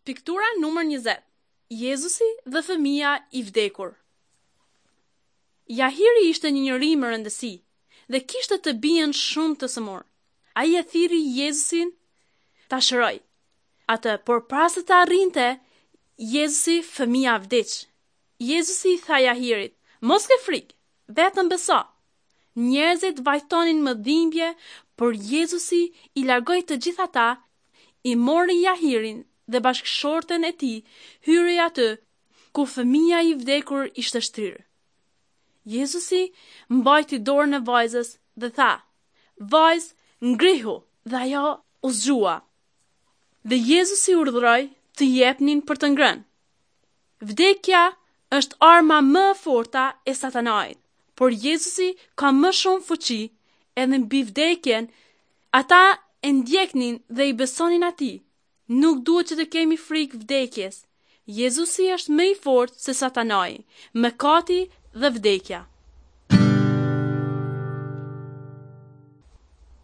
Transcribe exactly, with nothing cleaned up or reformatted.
Piktura numër njëzet. Jezusi dhe fëmija i vdekur. Jahiri ishte një njeri me rëndësi dhe kishte të bijën shumë të sëmurë. Ai e thirri Jezusin ta shërojë atë, por para se të arrinte Jezusi, fëmija vdiq. Jezusi i tha Jahirit: "Mos ke frikë, vetëm beso." Njerëzit vajtonin me dhimbje, por Jezusi i largoi të gjithë ata, i mori Jahirin dhe bashkëshorten e tij, hyri aty ku fëmija i vdekur ishte shtrirë. Jezusi mbajti dorën e vajzës dhe tha: "Vajzë, ngrihu!" Dhe ajo u zgjua. Dhe Jezusi urdhëroi të jepnin për të ngrënë. Vdekja është arma më e forta e satanait, por Jezusi ka më shumë fuqi edhe mbi vdekjen. Ata e ndjeknin dhe i besonin atij. Nuk duhet që të kemi frikë vdekjes. Jezusi është më i fortë se satanai, mëkati dhe vdekja.